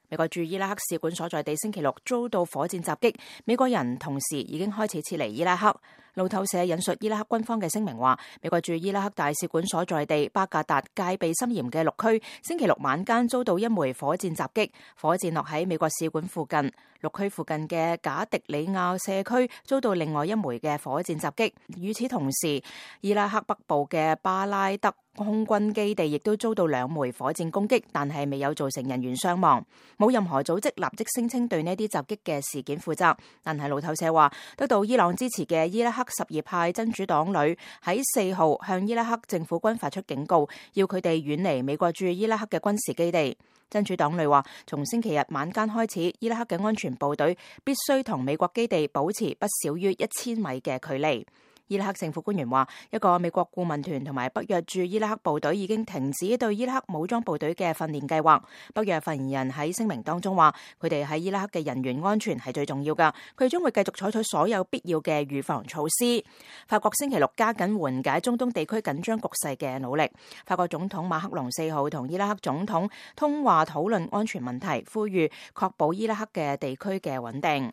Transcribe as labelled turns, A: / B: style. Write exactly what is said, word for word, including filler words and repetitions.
A: 美國駐伊拉克使館所在地星期六遭到火箭襲擊，美國人同時已經開始撤離伊拉克。路透社引述伊拉克軍方嘅聲明話，美國駐伊拉克大使館所在地巴格達戒備森嚴嘅綠區，星期六晚間遭到一枚火箭襲擊，火箭落喺美國使館附近。綠區附近嘅賈迪里亞社區遭到另外一枚嘅火箭襲擊。與此同時，伊拉克北部嘅巴拉德空軍基地亦都遭到兩枚火箭攻擊，但係未有造成人員傷亡。冇任何組織立即聲稱對呢啲襲擊嘅事件負責，但係路透社話，得到伊朗支持嘅伊拉克什葉派真主黨旅喺四號向伊拉克政府軍發出警告，要佢哋遠離美國駐伊拉克嘅軍事基地。真主黨旅話，從星期日晚間開始，伊拉克嘅安全部隊必須同美國基地保持不少於一千米嘅距離。伊拉克政府官員話，一個美國顧問團同埋北約駐伊拉克部隊已經停止對伊拉克武裝部隊嘅訓練計劃。北約發言人喺聲明當中話，佢哋喺伊拉克嘅人員安全係最重要㗎，佢將會繼續採取所有必要嘅預防措施。法國星期六加緊緩解中東地區緊張局勢嘅努力。法國總統馬克龍四號同伊拉克總統通話討論安全問題，呼籲確保伊拉克嘅地區嘅穩定。